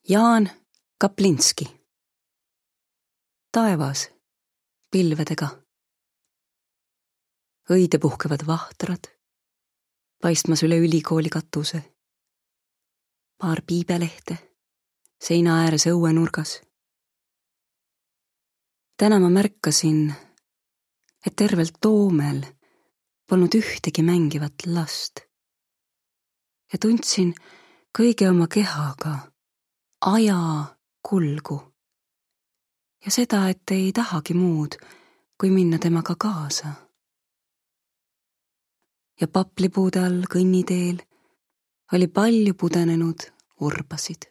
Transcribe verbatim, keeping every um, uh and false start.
Jaan Kaplinski. Taevas pilvedega. Õide puhkevad vahtrad, paistmas üle ülikooli katuse. Paar piibelehte seina ääres õuenurgas. Täna ma märkasin, et tervelt Toomel polnud ühtegi mängivat last. Ja tundsin kõige oma kehaga aja kulgu ja seda, et ei tahagi muud, kui minna temaga kaasa. Ja paplipuude all kõnniteel oli palju pudenenud urbasid.